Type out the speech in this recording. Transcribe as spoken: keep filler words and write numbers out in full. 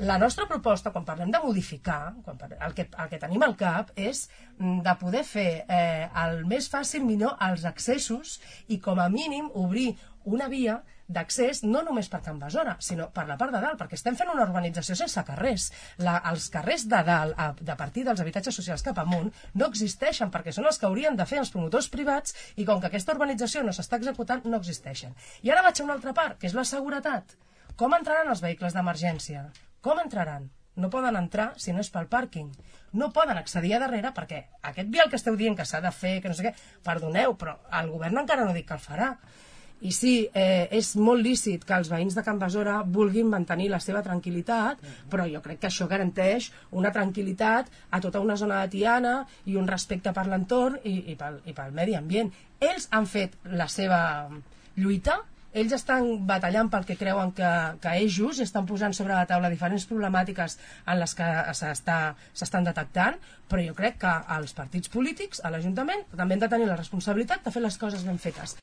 La nostra proposta, quan parlem de modificar, quan parlem, el, que, el que tenim al cap és de poder fer eh, el més fàcil millor els accessos i com a mínim obrir una via d'accés no només per Can Besora, sinó per la part de dalt, perquè estem fent una urbanització sense carrers. La, els carrers de dalt, a, de partir dels habitatges socials cap amunt, no existeixen, perquè són els que haurien de fer els promotors privats, i com que aquesta urbanització no s'està executant, no existeixen. I ara vaig a una altra part, que és la seguretat. Com entraran els vehicles d'emergència? Com entraran? No poden entrar si no és pel pàrquing. No poden accedir a darrere perquè aquest vial que esteu dient que s'ha de fer, que no sé què, perdoneu, però el govern encara no dic que el farà. I sí, eh, és molt lícit que els veïns de Can Besora vulguin mantenir la seva tranquil·litat, però jo crec que això garanteix una tranquil·litat a tota una zona de Tiana i un respecte per l'entorn i, i, pel, i pel medi ambient. Ells han fet la seva lluita, ells estan batallant pel que creuen que, que és just i estan posant sobre la taula diferents problemàtiques en les que s'estan detectant, però jo crec que els partits polítics, a l'Ajuntament, també han de tenir la responsabilitat de fer les coses ben fetes.